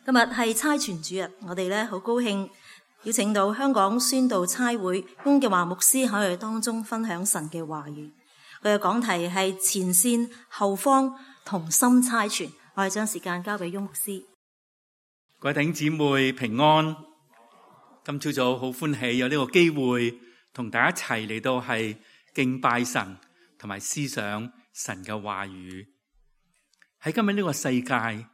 今日係差傳主日，我哋好高興邀請到香港宣道差會翁建華牧師喺我哋當中分享神嘅話語。佢嘅講題係前線後方同心差傳。我哋將時間交俾翁牧師。各位弟兄姊妹平安。今朝早好歡喜有呢個機會同大家一齊嚟到係敬拜神同埋思想神嘅話語。喺今日呢個世界，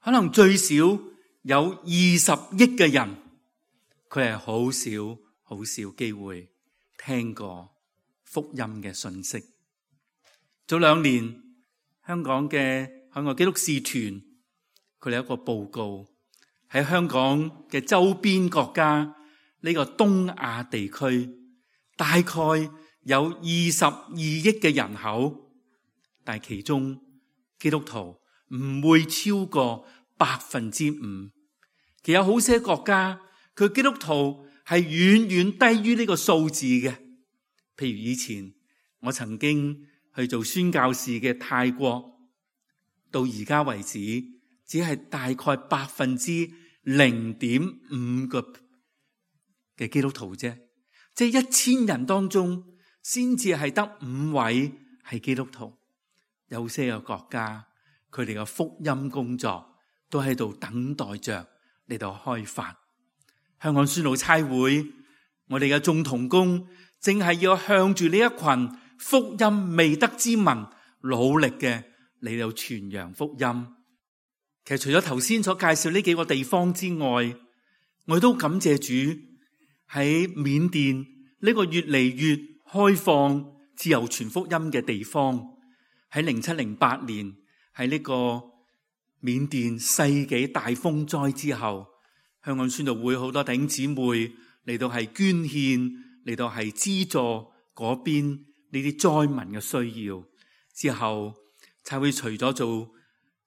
可能最少有20億嘅人，佢係好少機會聽過福音嘅信息。早2年，香港嘅海外基督使團，佢哋有一個報告，喺香港嘅周邊國家呢個東亞地區，大概有22億嘅人口，但係其中基督徒唔會超過5%。其實有好些國家，佢基督徒係遠遠低於呢個數字嘅。譬如以前我曾經去做宣教士嘅泰國，到而家為止只係大概0.5%嘅基督徒啫，即係1000人當中先至係得5位係基督徒。有些嘅國家，佢哋嘅福音工作都喺度等待着嚟到開發。香港宣道差會，我哋嘅眾同工正係要向住呢一群福音未得之民努力嘅嚟到傳揚福音。其實除咗頭先所介紹呢幾個地方之外，我都感謝主喺緬甸呢個越嚟越開放自由傳福音嘅地方。喺07-08年，喺呢個緬甸世紀大風災之後，香港宣道會好多弟兄姊妹嚟到係捐獻，嚟到係資助嗰邊呢啲災民嘅需要。之後差會除咗做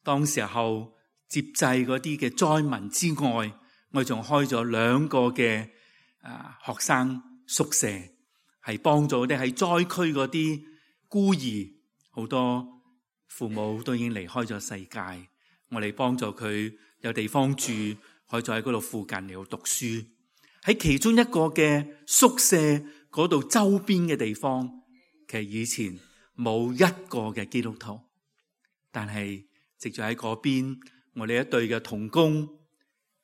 當時候接濟嗰啲嘅災民之外，我哋仲開咗2個嘅學生宿舍，係幫助啲喺災區嗰啲孤兒。好多父母都已經離開咗世界，我哋幫助佢有地方住，可以再喺嗰度附近嚟到讀書。喺其中一個嘅宿舍嗰度周邊嘅地方，其實以前冇一個嘅基督徒，但係藉住喺嗰邊，我哋一對嘅同工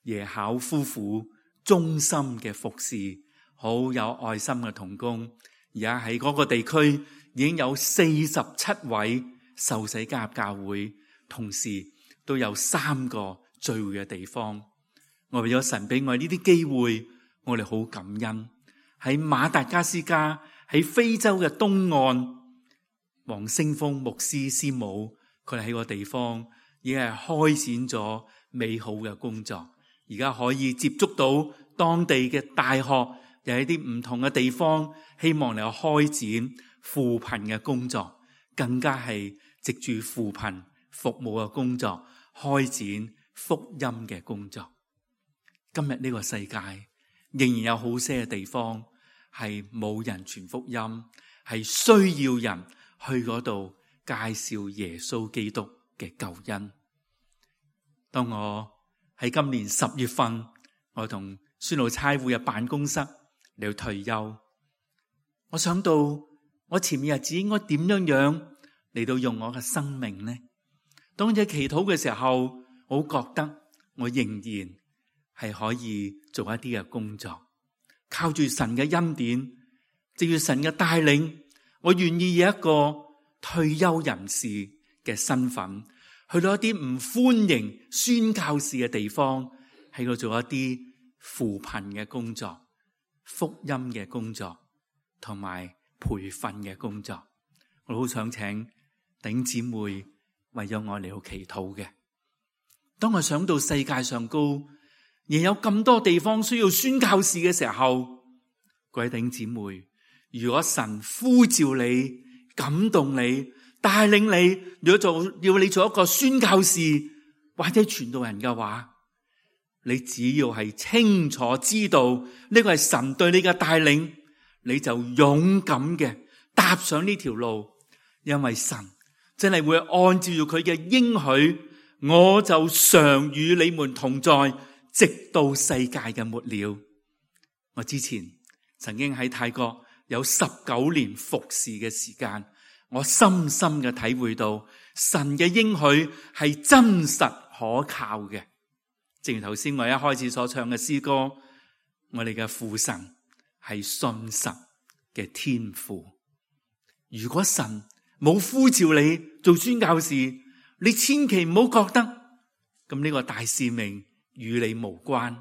耶考夫婦忠心嘅服侍，好有愛心嘅同工，而家喺嗰個地區已經有47位受洗加入教會，同時都有3個聚會嘅地方。我為咗神俾我呢啲機會，我哋好感恩。喺馬達加斯加，喺非洲嘅東岸，黃星峰牧師師母，佢哋喺個地方已經係開展咗美好嘅工作。而家可以接觸到當地嘅大學，又喺啲唔同嘅地方，希望嚟開展扶貧嘅工作，更加係藉住扶貧服務嘅工作，開展福音嘅工作。今日呢個世界仍然有好些嘅地方係冇人傳福音，係需要人去嗰度介紹耶穌基督嘅救恩。當我喺今年10月份，我同宣道差會嘅辦公室嚟到退休，我想到我前面日子應該點樣嚟到用我嘅生命呢？當我祈禱嘅時候，我覺得我仍然係可以做一啲嘅工作，靠住神嘅恩典，藉住神嘅帶領，我願意以一個退休人士嘅身份，去到一啲唔歡迎宣教士嘅地方，喺度做一啲扶貧嘅工作、福音嘅工作同埋培訓嘅工作。我好想請弟兄姊妹為咗我嚟到祈禱嘅。當我想到世界上高仍有咁多地方需要宣教士嘅時候，各位弟兄姊妹，如果神呼召你、感動你、帶領你，要你做一個宣教士或者傳道人嘅話，你只要係清楚知道呢個係神對你嘅帶領，你就勇敢嘅踏上呢條路，因為神真係會按照佢嘅應許我就常與你們同在，直到世界嘅末了。我之前曾經喺泰國有19年服侍嘅時間，我深深嘅體會到神嘅應許係真實可靠嘅。正如頭先我一開始所唱嘅詩歌，我哋嘅父神係信實嘅天父。如果神冇呼召你做宣教士，你千祈唔好覺得咁呢個大使命與你無關。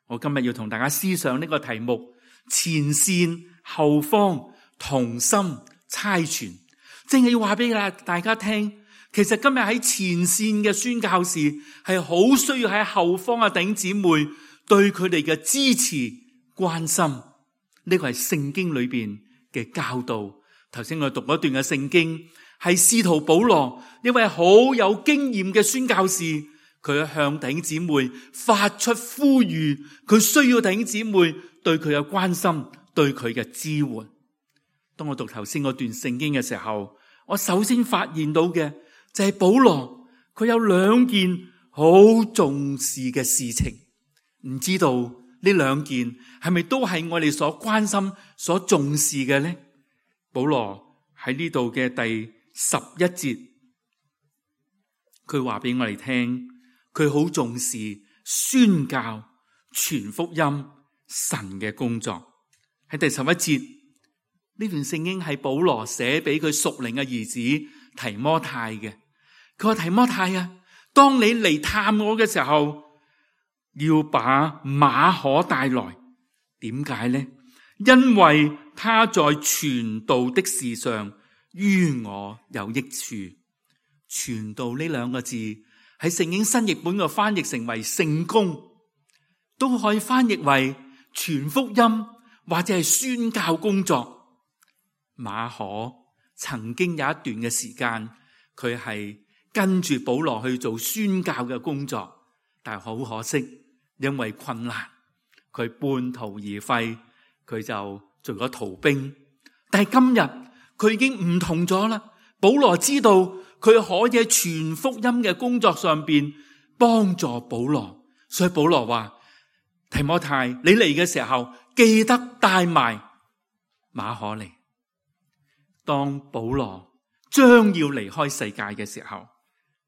我今日要同大家思想呢個題目：前線後方同心差傳，正係要話俾大家聽，其實今日喺前線嘅宣教士係好需要喺後方嘅弟兄姊妹對佢哋嘅支持關心。呢個係聖經裏邊嘅教導。頭先我讀咗一段嘅聖經，係使徒保羅一位好有經驗嘅宣教士，佢向弟兄姊妹發出呼籲，佢需要弟兄姊妹對佢嘅關心，對佢嘅支援。當我讀頭先嗰段聖經嘅時候，我首先發現到嘅就係保羅佢有2件好重視嘅事情，唔知道呢2件係咪都係我哋所關心、所重視嘅呢？保羅喺呢度嘅第11節，佢話俾我哋聽，佢好重視宣教、傳福音、神嘅工作。喺第11節，呢段聖經係保羅寫俾佢屬靈嘅兒子提摩太嘅。佢話：提摩太啊，當你嚟探我嘅時候，要把馬可帶來。點解呢？因為他在傳道的事上於我有益處。傳道呢2個字喺聖經新譯本嘅翻譯成為聖工，都可以翻譯為傳福音或者係宣教工作。馬可曾經有一段嘅時間，佢係跟住保羅去做宣教嘅工作，但係好可惜，因為困難，佢半途而廢，佢就做咗逃兵。但係今日佢已經唔同咗啦。保羅知道佢可以喺傳福音嘅工作上邊幫助保羅，所以保羅話：提摩太，你嚟嘅時候記得帶埋馬可嚟。當保羅將要離開世界嘅時候，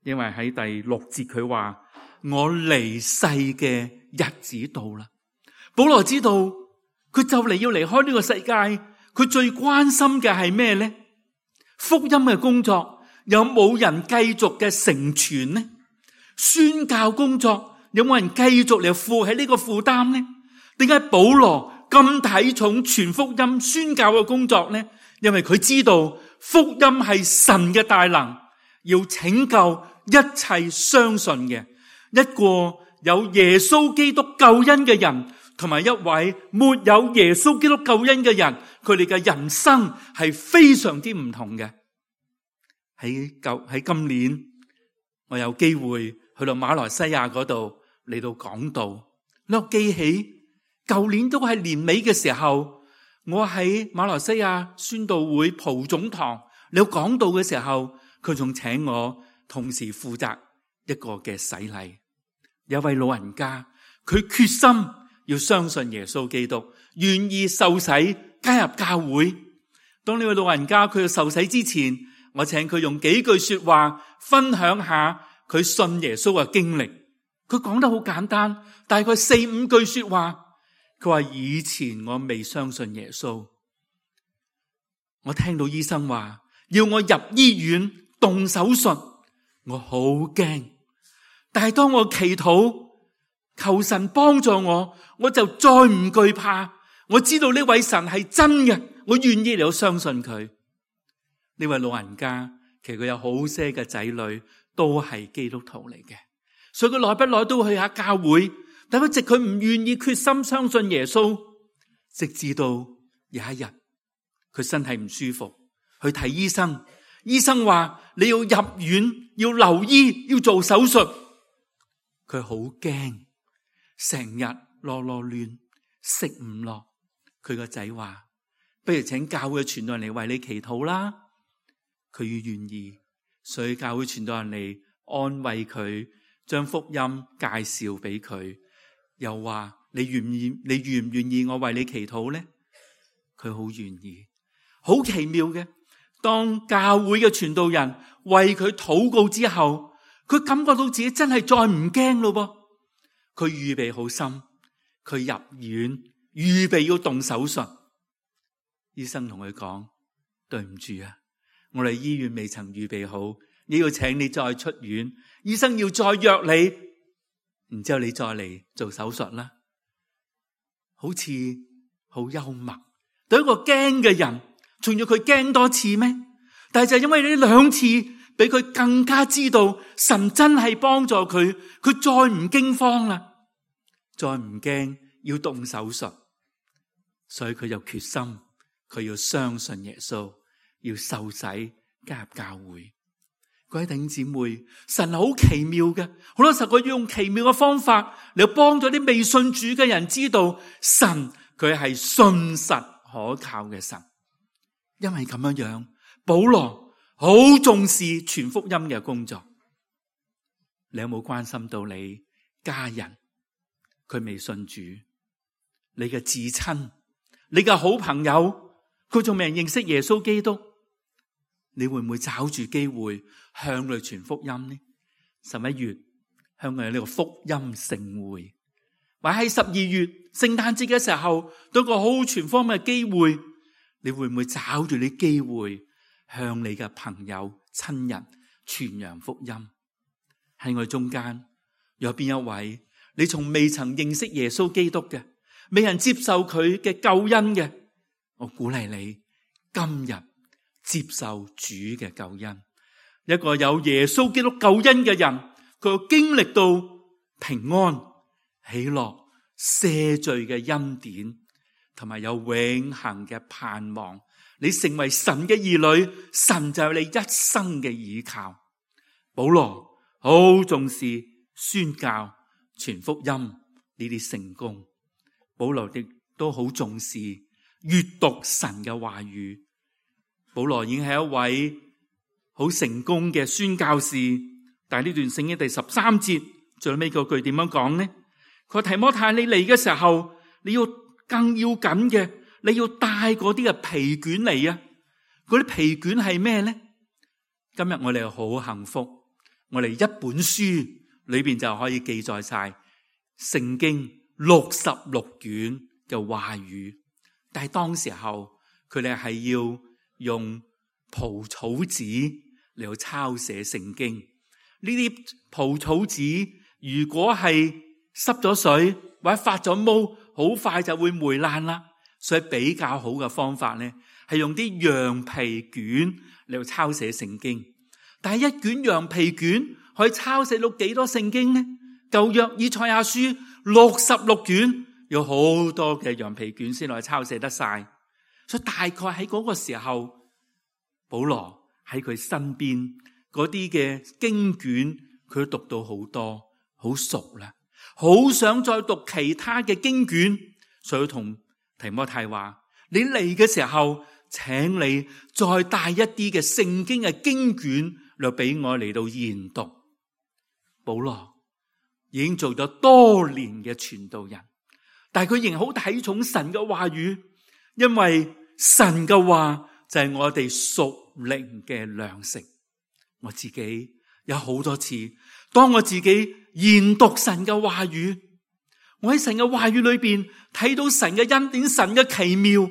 因為喺第6節佢話：我離世嘅日子到啦。保羅知道佢就嚟要離開呢個世界，佢最關心嘅係咩呢？福音嘅工作有冇人繼續嘅成全呢？宣教工作有冇人繼續嚟負起呢個負擔呢？點解保羅咁睇重傳福音宣教嘅工作呢？因為佢知道福音係神嘅大能，要拯救一切相信嘅，一個有耶穌基督救恩嘅人，同埋一位沒有耶穌基督救恩嘅人，佢哋嘅人生係非常之唔同嘅。喺今年，我有機會去到馬來西亞嗰度嚟到講道。我記起舊年都係年尾嘅時候，我喺馬來西亞宣道會蒲總堂嚟到講道嘅時候，佢仲請我同時負責一個嘅洗禮。有位老人家，佢決心要相信耶穌基督，願意受洗加入教會。當呢位老人家佢要受洗之前，我請佢用幾句說話分享下佢信耶穌嘅經歷。佢講得好簡單，大概4-5句說話。佢話：以前我未相信耶穌，我聽到醫生話要我入醫院動手術，我好驚。但係當我祈禱求神幫助我，我就再唔懼怕。我知道呢位神係真嘅，我願意嚟到相信佢。呢位老人家其實佢有好些嘅仔女都係基督徒嚟嘅，所以佢耐不耐都會去下教會。但一直佢唔願意決心相信耶穌，直至到有一日佢身體唔舒服去睇醫生，醫生話你要入院，要留醫，要做手術。佢好驚，成日囉囉攣，食唔落。佢個仔話：不如請教會傳道人嚟為你祈禱啦。佢願意，所以教會傳道人嚟安慰佢，將福音介紹俾佢，又話你願唔願意我為你祈禱呢？佢好願意。好奇妙嘅，當教會嘅傳道人為佢禱告之後，佢感覺到自己真係再唔驚咯噃。佢預備好心，佢入院預備要動手術。醫生同佢講：對唔住啊，我哋醫院未曾預備好，你要請你再出院，醫生要再約你，然之後你再嚟做手術啦。好似好幽默，對一個驚嘅人，仲要佢驚多次咩？但係就因為呢兩次，俾佢更加知道神真係幫助佢，佢再唔驚慌啦，再唔驚要動手術，所以佢就決心，佢要相信耶穌，要受洗加入教會。各位弟兄姊妹，神係好奇妙嘅，好多時候佢要用奇妙嘅方法嚟幫咗啲未信主嘅人知道神佢係信實可靠嘅神。因為咁樣樣，保羅好重視傳福音嘅工作。你有冇關心到你家人佢未信主？你嘅至親，你嘅好朋友，佢仲未認識耶穌基督？你會唔會找住機會向佢傳福音呢？11月香港有呢個福音盛會，或喺12月聖誕節嘅時候，都有個好傳福音嘅機會。你會唔會找住啲機會向你嘅朋友親人傳揚福音？喺我中間有邊一位你從未曾認識耶穌基督嘅，未人接受佢嘅救恩嘅？我鼓勵你今日接受主嘅救恩。一個有耶穌基督救恩嘅人，佢經歷到平安、喜樂、赦罪嘅恩典，同埋有永恆嘅盼望。你成為神嘅兒女，神就係你一生嘅依靠。保羅好重視宣教、傳福音呢啲成功。保羅亦都好重視閱讀神嘅話語。保羅已經係一位好成功嘅宣教士，但係呢段聖經第13節最尾嗰句點樣講呢？佢話提摩太，你嚟嘅時候，你要更要緊嘅，你要帶嗰啲嘅皮卷嚟啊！嗰啲皮卷係咩呢？今日我哋好幸福，我哋一本書裏邊就可以記載晒聖經66卷嘅話語。但係當時候佢哋係要用蒲草紙嚟到抄寫聖經。呢啲蒲草紙如果係濕咗水或者發咗毛，好快就會霉爛啦。所以比較好嘅方法咧，係用啲羊皮卷嚟到抄寫聖經。但係一卷羊皮卷可以抄寫到幾多聖經呢？舊約以賽亞書66卷，有好多嘅羊皮卷先可以抄寫得晒。所以大概喺嗰個時候，保羅喺佢身邊嗰啲嘅經卷，佢都讀到好多，好熟啦，好想再讀其他嘅經卷。所以同提摩太話：你嚟嘅時候，請你再帶一啲嘅聖經嘅經卷嚟俾我嚟到研讀。保羅已經做咗多年嘅傳道人，但係佢仍好睇重神嘅話語，因為神嘅話就係我哋屬靈嘅糧食。我自己有好多次，當我自己研讀神嘅話語，我喺神嘅話語裏邊睇到神嘅恩典、神嘅奇妙，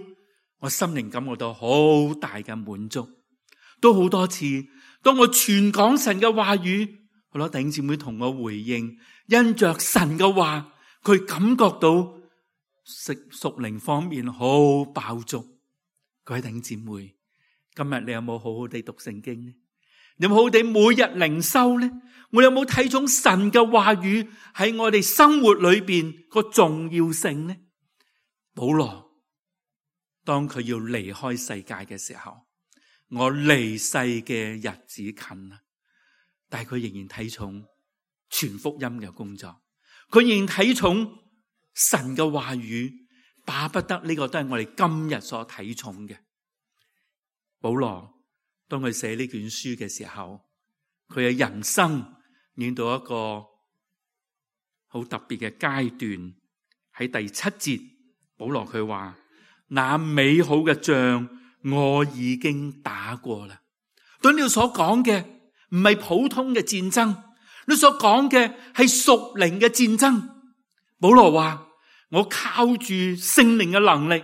我心靈感覺到好大嘅滿足。都好多次，當我傳講神嘅話語，好多弟兄姊妹同我回應，因着神嘅話，佢感覺到屬靈方面好飽足。各位弟兄姊妹，今日你有冇好好地讀聖經呢？你有冇好好地每日靈修呢？我有冇睇重神嘅話語喺我哋生活裏邊個重要性呢？保羅當佢要離開世界嘅時候，我離世嘅日子近啦，但係佢仍然睇重傳福音嘅工作，佢仍然睇重神嘅話語，巴不得呢個都係我哋今日所睇重嘅。保羅當佢寫呢卷書嘅時候，佢嘅人生演到一個好特別嘅階段。喺第7節，保羅佢話：那美好嘅仗我已經打過啦。對你所講嘅唔係普通嘅戰爭，你所講嘅係屬靈嘅戰爭。保羅話：我靠住聖靈嘅能力，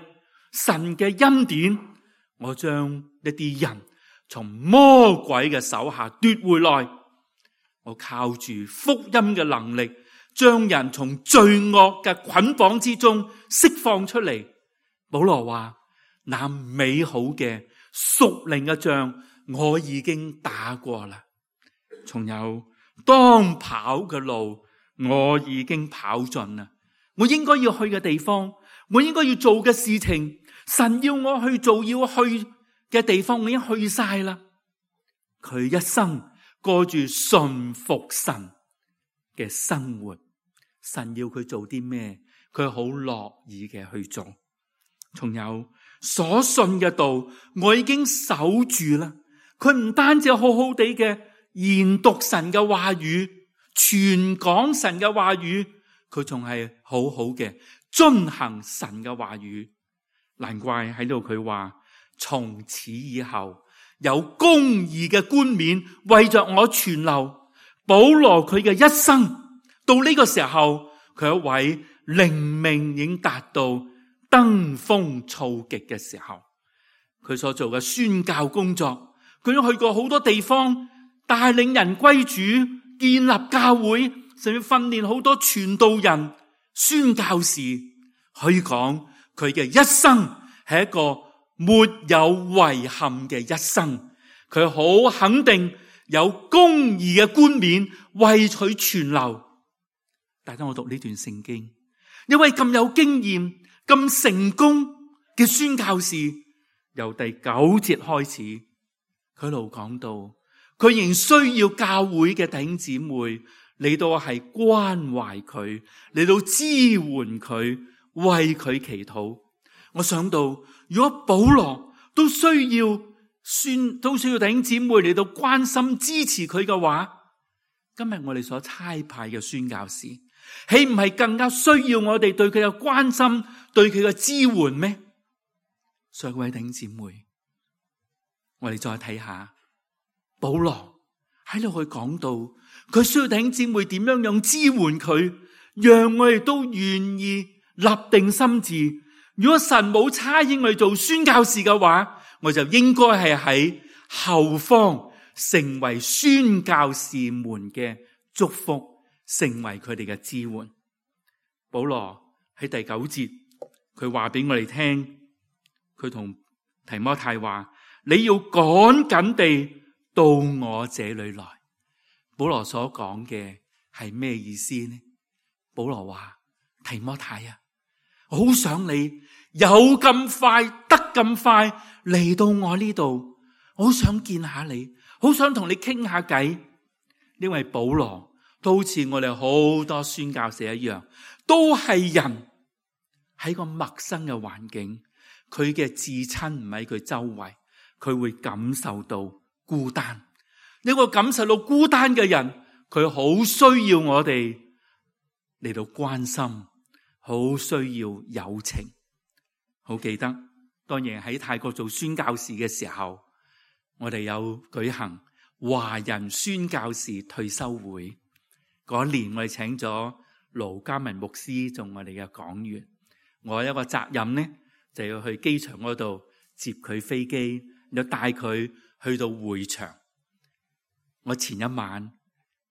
神嘅恩典，我將一啲人從魔鬼嘅手下奪回來。我靠住福音嘅能力，將人從罪惡嘅捆綁之中釋放出嚟。保羅話：那美好嘅屬靈嘅仗我已經打過啦，仲有當跑嘅路我已經跑盡啦。我應該要去嘅地方，我應該要做嘅事情，神要我去做要去嘅地方，我已經去晒啦。佢一生過住順服神嘅生活，神要佢做啲咩，佢好樂意嘅去做。仲有所信嘅道，我已經守住啦。佢唔單止好好地嘅研讀神嘅話語，傳講神嘅話語，佢仲係好好嘅遵行神嘅話語。難怪喺度佢話：從此以後有公義嘅冠冕為着我存留。保羅佢嘅一生到呢個時候，佢一位靈命已經達到登峰造極嘅時候，佢所做嘅宣教工作，佢都去過好多地方，帶領人歸主，建立教會，甚至訓練好多傳道人、宣教士。可以講佢嘅一生係一個沒有遺憾嘅一生。佢好肯定有公義嘅冠冕為佢存留。大家我讀呢段聖經，一位咁有經驗、咁成功嘅宣教士，由第9節開始，佢一路講到，佢仍需要教會嘅弟兄姊妹嚟到係關懷佢，嚟到支援佢，為佢祈禱。我想到，如果保羅都需要弟兄姊妹嚟到關心支持佢嘅話，今日我哋所差派嘅宣教士，豈唔係更加需要我哋對佢嘅關心，對佢嘅支援咩？所以各位弟兄姊妹，我哋再睇下保羅喺度去講到，佢需要弟兄姊妹點樣支援佢，讓我哋都願意立定心志。如果神冇差遣我哋做宣教士嘅話，我就應該係喺後方成為宣教士們嘅祝福，成為佢哋嘅支援。保羅喺第9節，佢話俾我哋聽，佢同提摩太話：你要趕緊地到我這裏來。保羅所講嘅係咩意思呢？保羅話：提摩太啊，我好想你有咁快得咁快嚟到我呢度，我好想見下你，好想同你傾下偈。因為保羅都好似我哋好多宣教士一樣，都係人喺個陌生嘅環境，佢嘅至親唔喺佢周圍，佢會感受到孤單。呢個感受到孤單嘅人，佢好需要我哋嚟到關心，好需要友情。好記得當年喺泰國做宣教士嘅時候，我哋有舉行華人宣教士退休會。嗰年我哋請咗盧嘉文牧師做我哋嘅講員，我有一個責任呢，就要去機場嗰度接佢飛機，又帶佢去到會場。我前一晚，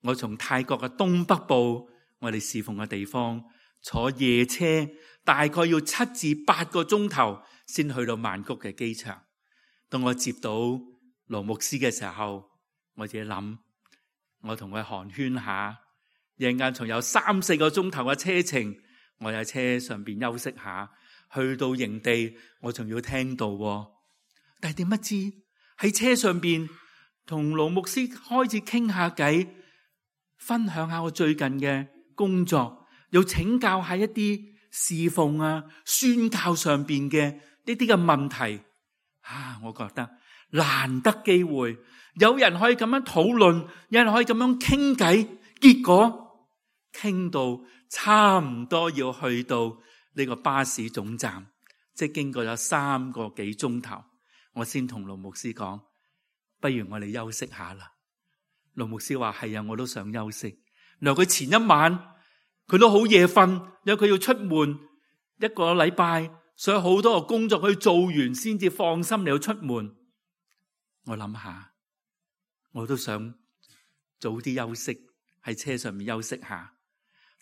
我從泰國嘅東北部，我哋侍奉嘅地方，坐夜車，大概要7至8個鐘頭先去到曼谷嘅機場。當我接到盧牧師嘅時候，我自己諗，我同佢寒暄下，一陣間仲有3、4個鐘頭嘅車程，我喺車上邊休息下，去到營地我仲要聽道。但係點不知喺車上邊同盧牧師開始傾下偈，分享下我最近嘅工作，又請教下一啲侍奉啊、宣教上邊嘅呢啲嘅問題。我覺得難得機會，有人可以咁樣討論，有人可以咁樣傾偈，結果傾到差唔多要去到呢個巴士總站，即係經過咗3個幾鐘頭，我先同盧牧師講，不如我哋休息下啦。盧牧師話係啊，我都想休息。原來佢前一晚佢都好夜瞓，因為佢要出門1個禮拜，所以好多個工作佢做完先至放心嚟到出門。我諗下，我都想早啲休息，喺車上面休息下。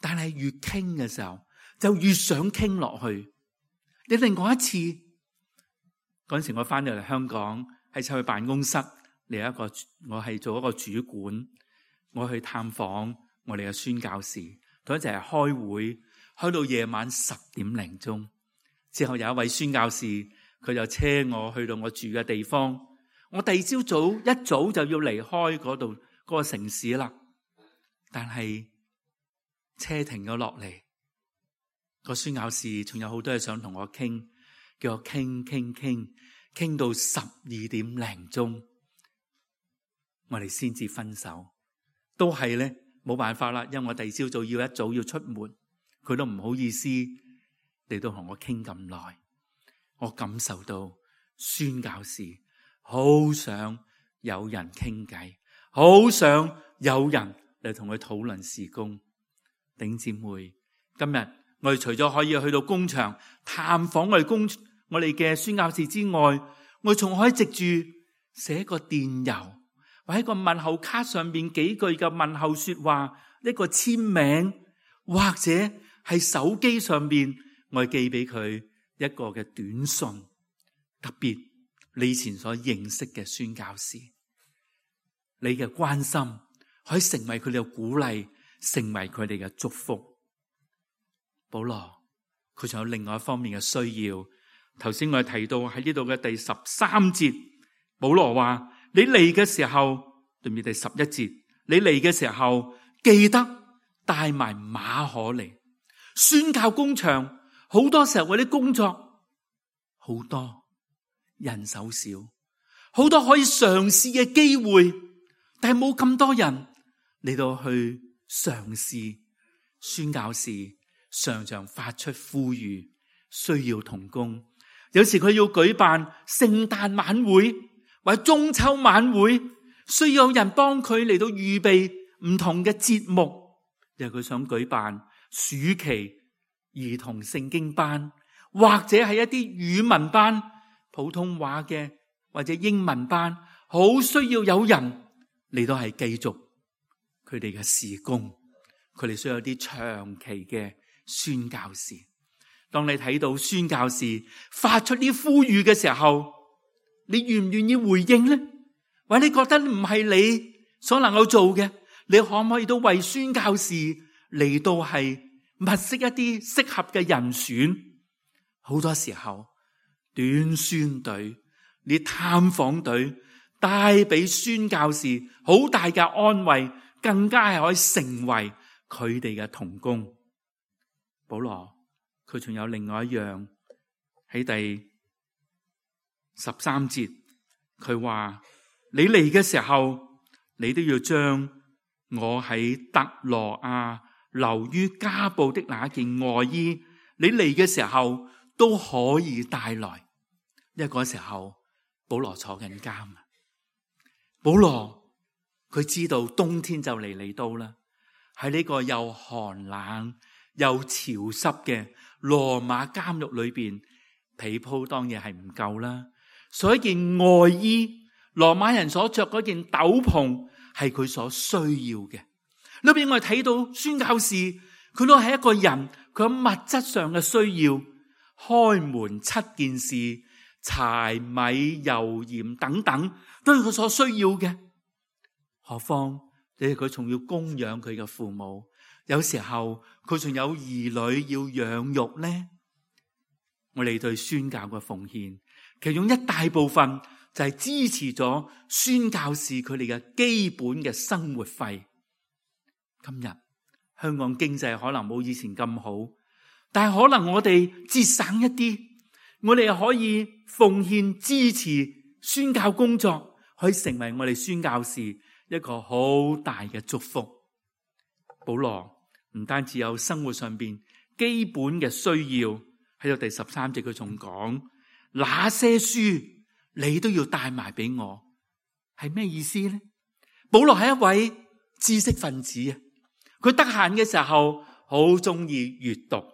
但係越傾嘅時候，就越想傾落去。你另外一次嗰陣時，我翻到嚟香港，喺出去辦公室嚟我係做一個主管，我去探訪我哋嘅宣教士，同一齊開會，開到夜晚10點零鐘。之後有一位宣教士，佢就車我去到我住嘅地方。我第二朝一早就要離開嗰度嗰個城市啦。但係車停咗落嚟，個宣教士仲有好多嘢想同我傾，叫我傾到12點零鐘，我哋先至分手。都係咧，冇辦法啦，因為我第二朝早要一早要出門，佢都唔好意思嚟到同我傾咁耐。我感受到宣教士好想有人傾偈，好想有人嚟同佢討論事工。弟兄姊妹，今日我哋除咗可以去到工場探訪我哋嘅宣教士之外，我哋仲可以藉住寫個電郵，或者個問候卡上邊幾句嘅問候說話，一個簽名，或者係手機上邊我哋寄俾佢一個嘅短信。特別你以前所認識嘅宣教士，你嘅關心可以成為佢哋嘅鼓勵，成為佢哋嘅祝福。保羅佢仲有另外一方面嘅需要。頭先我哋提到喺呢度嘅第13節，保羅話你嚟嘅時候，對唔對？第11節，你嚟嘅時候記得帶埋馬可嚟。宣教工場好多時候嗰啲工作好多，人手少，好多可以嘗試嘅機會，但係冇咁多人嚟到去嘗試。宣教士常常發出呼籲，需要同工。有時佢要舉辦聖誕晚會或者中秋晚會，需要有人幫佢嚟到預備唔同嘅節目。又佢想舉辦暑期兒童聖經班，或者係一啲語文班，普通話嘅或者英文班，好需要有人嚟到係繼續佢哋嘅事工。佢哋需要一啲長期嘅宣教士。當你睇到宣教士發出啲呼籲嘅時候，你願唔願意回應呢？或者你覺得唔係你所能夠做嘅，你可唔可以都為宣教士嚟到係物色一啲適合嘅人選？好多時候短宣隊、你探訪隊帶俾宣教士好大嘅安慰，更加係可以成為佢哋嘅同工。保羅佢仲有另外一樣，喺第13節，佢話你嚟嘅時候，你都要將我喺特羅亞留於加布的那件外衣，你嚟嘅時候都可以帶來。因為嗰時候保羅坐緊監，保羅佢知道冬天就嚟到啦，喺呢個又寒冷又潮濕嘅羅馬監獄裏邊，被鋪當然係唔夠啦，所以件外衣，羅馬人所着嗰件斗篷係佢所需要嘅。裏邊我哋睇到宣教士，佢都係一個人，佢有物質上嘅需要，開門7件事，柴米油鹽等等，都係佢所需要嘅。何況你佢仲要供養佢嘅父母，有時候佢仲有兒女要養育呢。我哋對宣教嘅奉獻，其中一大部分就係支持咗宣教士佢哋嘅基本嘅生活費。今日香港經濟可能冇以前咁好，但係可能我哋節省一啲，我哋可以奉獻支持宣教工作，可以成為我哋宣教士一個好大嘅祝福。保羅唔單止有生活上邊基本嘅需要，喺度第13節佢仲講，那些書你都要帶埋俾我，係咩意思呢？保羅係一位知識分子啊，佢得閒嘅時候好中意閱讀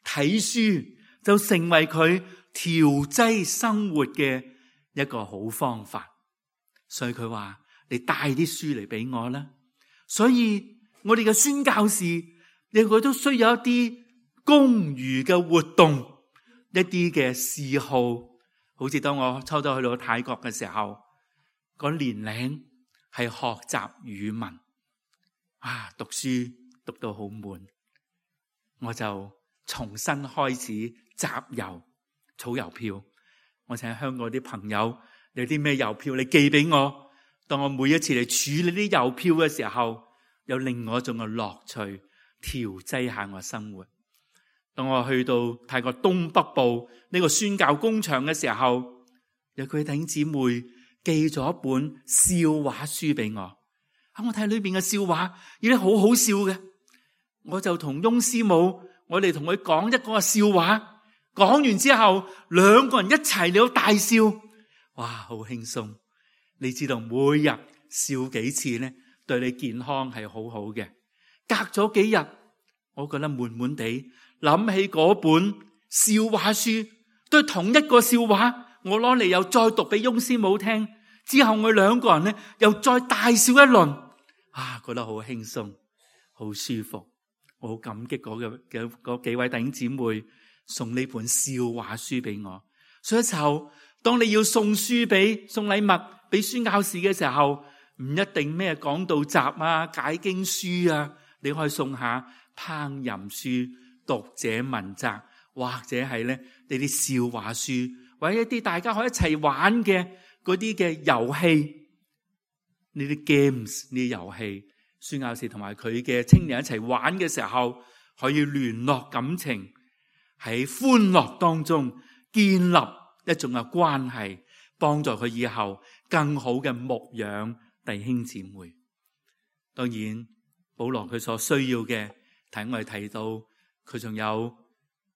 睇書，就成為佢調劑生活嘅一個好方法。所以佢話你帶啲書嚟俾我啦。所以我哋嘅宣教士，佢都需要一啲公餘嘅活動，一啲嘅嗜好。好似當我抽到去到泰國嘅時候，個年齡係學習語文，讀書讀到好悶，我就重新開始集郵儲郵票。我請香港啲朋友有啲咩郵票你寄俾我，當我每一次嚟處理啲郵票嘅時候，有另外一種嘅樂趣，調劑下我生活。當我去到泰國東北部呢個宣教工場嘅時候，有佢弟兄姊妹寄咗一本笑話書俾我。我睇裏邊嘅笑話，有啲好好笑嘅。我就同翁師母，我哋同佢講一個笑話，講完之後，兩個人一齊嚟到大笑，哇，好輕鬆。你知道每日笑幾次呢，對你健康係好好嘅。隔咗幾日，我覺得悶悶地，諗起嗰本笑話書，都係同一個笑話，我攞嚟又再讀俾翁師母聽，之後我兩個人呢又再大笑一輪，覺得好輕鬆，好舒服。我好感激嗰幾位弟兄姊妹送呢本笑話書俾我。所以就當你要送禮物俾宣教士嘅時候，唔一定咩講道集啊、解經書啊，你可以送下烹飪書、讀者文摘，或者係呢啲笑話書，或者一啲大家可以一齊玩嘅嗰啲嘅遊戲，呢啲 games 呢啲遊戲，宣教士同埋佢嘅青年一齊玩嘅時候，可以聯絡感情，喺歡樂當中建立一種嘅關係，幫助佢以後更好嘅牧養弟兄姊妹。當然保羅佢所需要嘅，睇我哋提到佢仲有，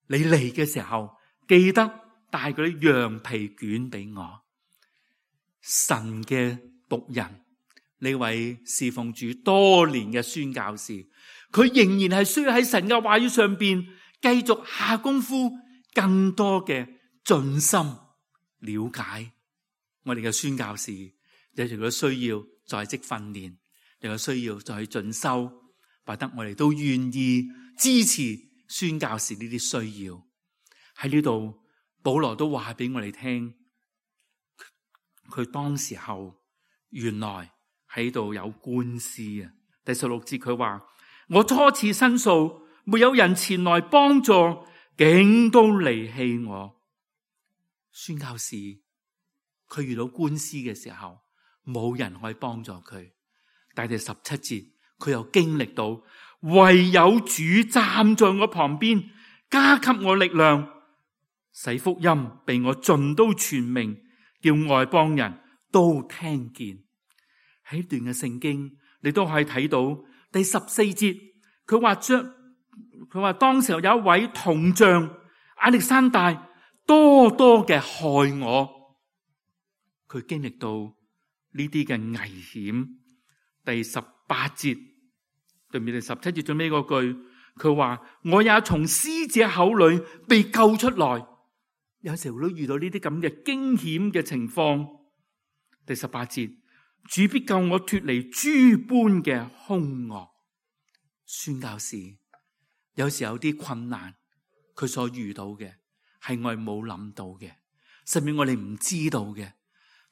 你嚟嘅時候記得帶嗰啲羊皮卷俾我。神嘅僕人，呢位侍奉主多年嘅宣教士，佢仍然係需要喺神嘅話語上邊繼續下功夫，更多嘅盡心了解。我哋嘅宣教士有時都需要在職訓練，又有需要再去進修，或者我哋都願意支持宣教士呢啲需要。喺呢度保羅都話俾我哋聽，佢當時候原來喺度有官司啊。第16節佢話，我初次申訴，沒有人前來幫助，竟都離棄我。宣教士佢遇到官司嘅時候，冇人可以幫助佢。但係第17節佢又經歷到，唯有主站在我旁邊，加給我力量，使福音被我盡都傳明，叫外邦人都聽見。喺呢段嘅聖經，你都可以睇到第14節，佢話當時有一位銅匠亞歷山大多多嘅害我，佢經歷到呢啲嘅危險。第18節對面第17節最尾嗰句，佢話我也從使者口裏被救出來。有時候都遇到呢啲咁嘅驚險嘅情況。第18節，主必救我脫離諸般嘅兇惡。宣教士有時有啲困難，佢所遇到嘅係我哋冇諗到嘅，甚至我哋唔知道嘅，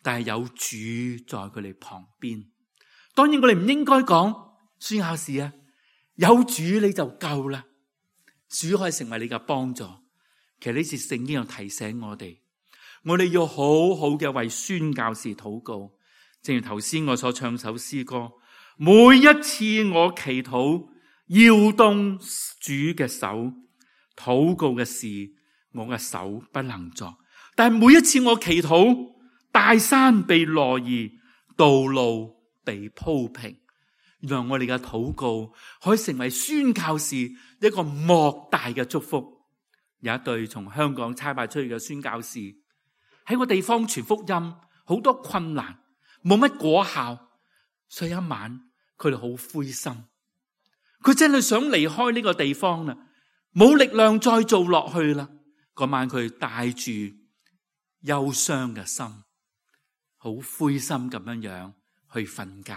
但係有主在佢哋旁邊。當然我哋唔應該講宣教士啊，有主你就夠啦，主可以成為你嘅幫助。其實呢次聖經又提醒我哋要好好嘅為宣教士禱告。正如頭先我所唱首詩歌，每一次我祈禱搖動主嘅手，禱告嘅事我嘅手不能作，但係每一次我祈禱，大山被挪移，道路被鋪平，原來我哋嘅禱告可以成為宣教士一個莫大嘅祝福。有一對從香港差派出去嘅宣教士喺個地方傳福音，好多困難，冇乜果效，所以一晚佢哋好灰心，佢真係想離開呢個地方啦，冇力量再做落去啦。嗰晚佢帶住憂傷嘅心，好灰心咁樣去瞓覺。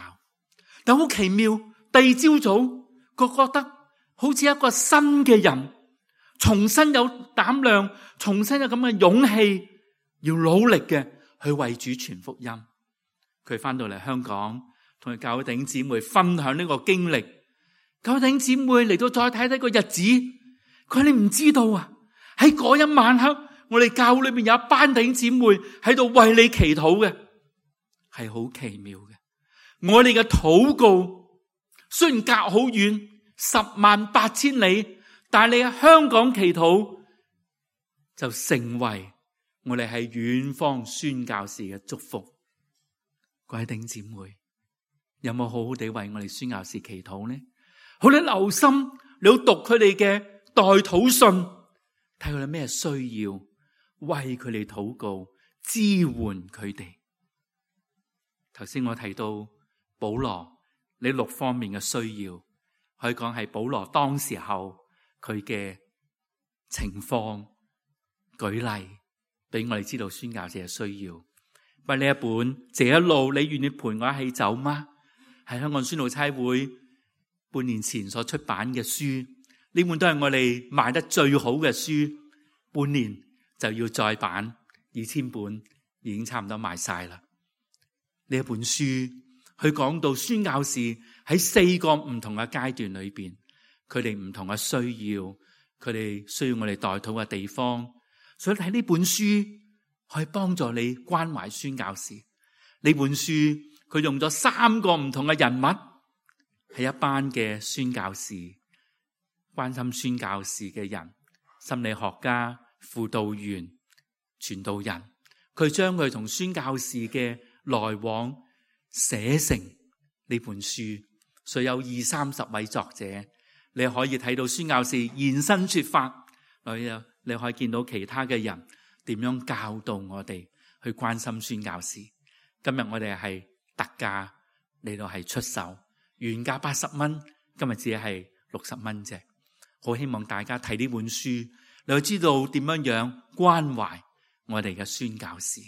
但好奇妙，第二朝早佢覺得好似一個新嘅人，重新有膽量，重新有咁嘅勇氣，要努力嘅去為主傳福音。佢翻到嚟香港，同佢教會弟兄姊妹分享呢個經歷。教會弟兄姊妹嚟到再睇睇個日子，佢話你唔知道啊，喺嗰一晚黑，我哋教會裏面有一班弟兄姊妹喺度為你祈禱嘅，係好奇妙嘅。我哋嘅禱告雖然隔好遠，108000里，但係你喺香港祈禱就成為我哋喺遠方宣教士嘅祝福。各位弟兄姊妹，有冇好好地為我哋宣教士祈禱呢？好，你留心，你要讀佢哋嘅代禱信，睇佢哋咩需要，為佢哋禱告，支援佢哋。頭先我提到保羅呢6方面嘅需要，可以講係保羅當時候佢嘅情況舉例，俾我哋知道宣教士嘅需要。不過呢一本這一路你願意陪我一起走嗎？係香港宣道差會半年前所出版嘅書，呢本都係我哋賣得最好嘅書，半年就要再版，2000本已經差唔多賣晒啦。呢一本書佢講到宣教士喺4個唔同嘅階段裏邊，佢哋唔同嘅需要，佢哋需要我哋代禱嘅地方，所以睇呢本書可以幫助你關懷宣教士。呢本書佢用咗3個唔同嘅人物，係一班嘅宣教士，關心宣教士嘅人，心理學家、輔導員、傳道人，佢將佢同宣教士嘅來往寫成呢本書，所以有20-30位作者，你可以睇到宣教士現身說法，你可以見到其他嘅人點樣教導我哋去關心宣教士。今日我哋係特價嚟到係出售，原價80蚊，今日只係60蚊啫。好希望大家睇呢本書，你會知道點樣樣關懷我哋嘅宣教士。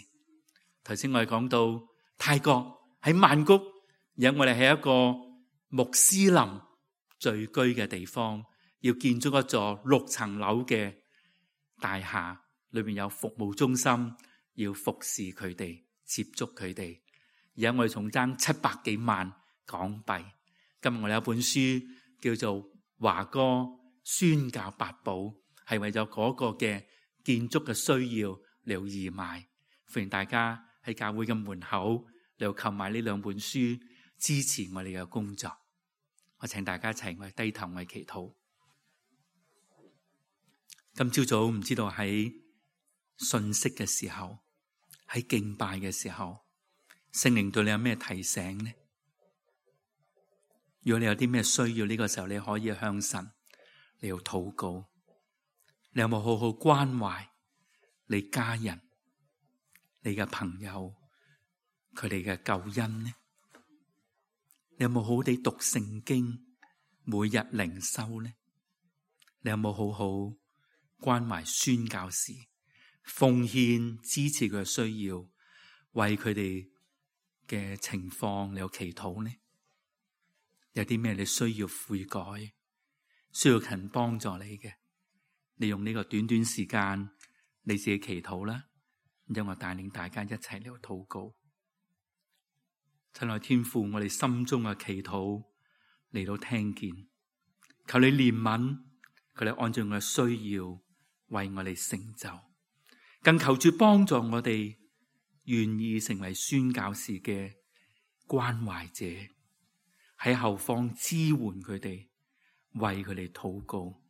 頭先我哋講到泰國喺曼谷，而家我哋係一個穆斯林聚居嘅地方，要建築一座6層樓嘅大廈，裏面有服務中心，要服侍佢哋，接觸佢哋。而家我哋仲爭700幾萬港幣。今日我哋有一本書叫做《華歌宣教八寶》，係為咗嗰個嘅建築嘅需要嚟義賣。歡迎大家喺教會嘅門口嚟購買呢2本書，支持我哋嘅工作。我請大家一齊為低頭為祈禱。今朝早唔知道喺信息嘅時候，喺敬拜嘅時候，聖靈對你有咩提醒呢？如果你有啲咩需要，呢個時候你可以向神你要禱告。你有冇好好關懷你家人、你嘅朋友，佢哋嘅救恩呢？你有冇好好地讀聖經，每日靈修呢？你有冇好好關懷宣教士，奉獻支持佢嘅需要，為佢哋嘅情況你有祈禱呢？有啲咩你需要悔改，需要人幫助你嘅，你用呢個短短時間你自己祈禱啦，因為我帶領大家一齊嚟禱告。親愛天父，我哋心中嘅祈禱嚟到聽見，求你憐憫，求你按照我嘅需要為我哋成就，更求主幫助我哋願意成為宣教士嘅關懷者，喺後方支援佢哋，為佢哋禱告，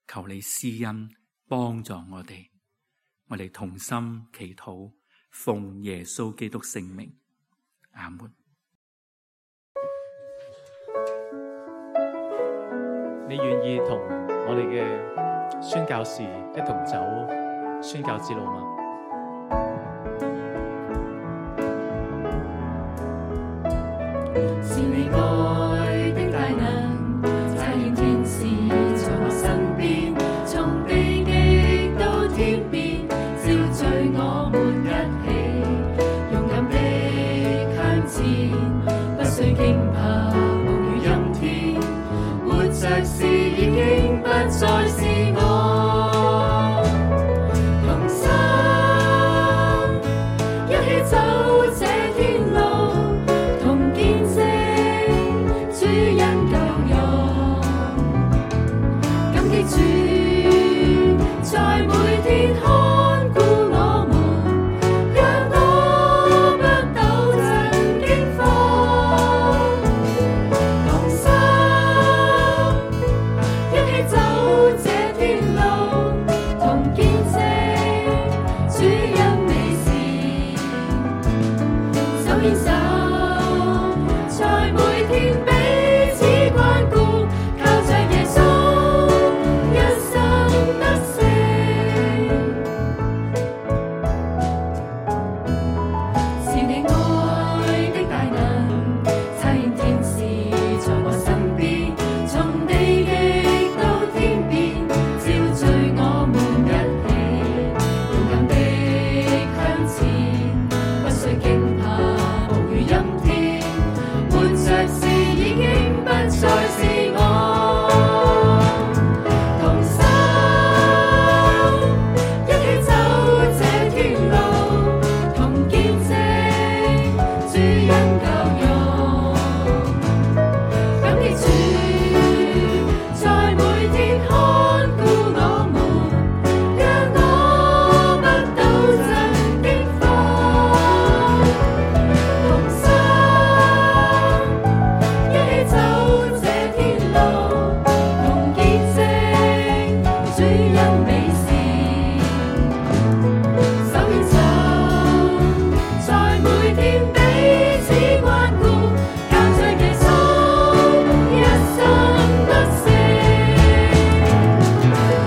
求你施恩幫助我哋同心祈禱，奉耶穌基督聖名，阿門。你願意同我哋嘅宣教士一同走宣教之路嗎？是你愛的大能，差遣天使在我身邊，從地極到天邊，召聚我們一起，勇敢地向前，不需驚怕暴雨陰天，活着時已經不再是我，同心一起走這天路，同見證主恩救贖，感激主在每天看顧我們，讓我不抖震驚慌，同心一起走這天路，同見證主恩美事，手牽手在每天彼此關顧，靠着耶穌一生得勝。是你愛的大能，差遣天使在我身邊，從地極到天邊，召聚我們一起，勇敢地向前，不需驚怕暴雨陰天，活着時已經不再是我，同心一起走這天路，同見證主恩救贖，感激主在每天看顧我們，讓我不抖震驚慌，同心一起走這天路，同見證主恩美事，手牽手在每天彼此關顧，靠着耶穌一生得勝，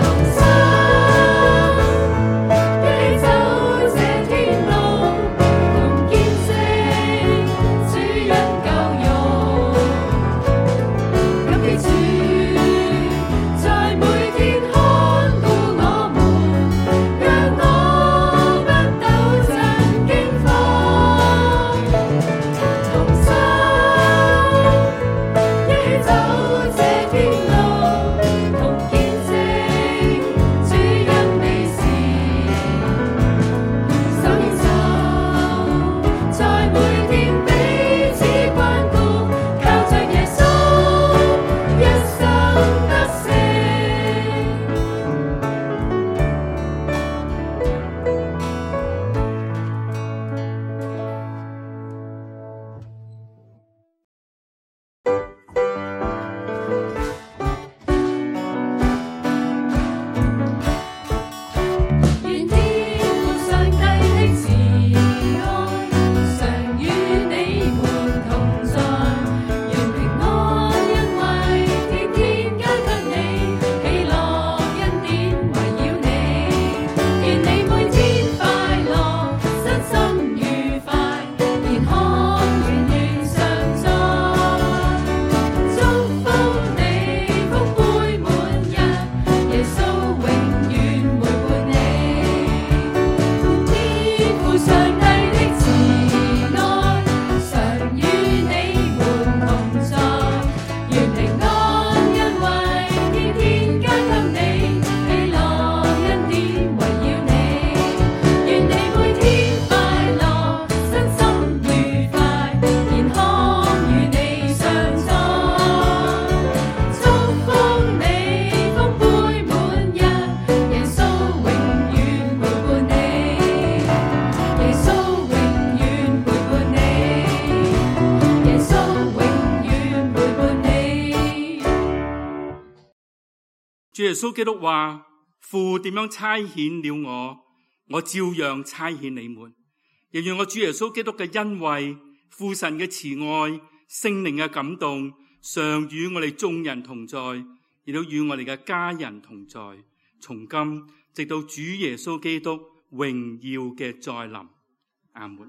同心一起走這天路，同見證主恩救贖，感激主在每天看顧我們，讓我不抖震驚慌，同心一起走這天路，同見證主恩美事，手牽手在每天彼此關顧，靠着耶穌一生得勝。願天父上帝的慈愛常與你們同在，願平安恩惠天天加給你，喜樂恩典圍繞你。願你每天快樂，身心愉快，健康圓圓常在。祝福你福杯滿溢，耶穌永遠陪伴你。天父上帝的慈愛常與你們同在，願平安恩惠天天加給你，喜樂恩典圍繞你。願你每天快樂，身心愉快，健康與你常在。祝福你福杯滿溢，耶穌永遠陪伴你。耶穌永遠陪伴你。耶穌永遠陪伴你。主耶穌基督話：父點樣差遣了我，我照樣差遣你們。亦願我主耶穌基督嘅恩惠、父神嘅慈愛、聖靈嘅感動，常與我哋眾人同在，亦都與我哋嘅家人同在，從今直到主耶穌基督榮耀嘅再臨。阿門。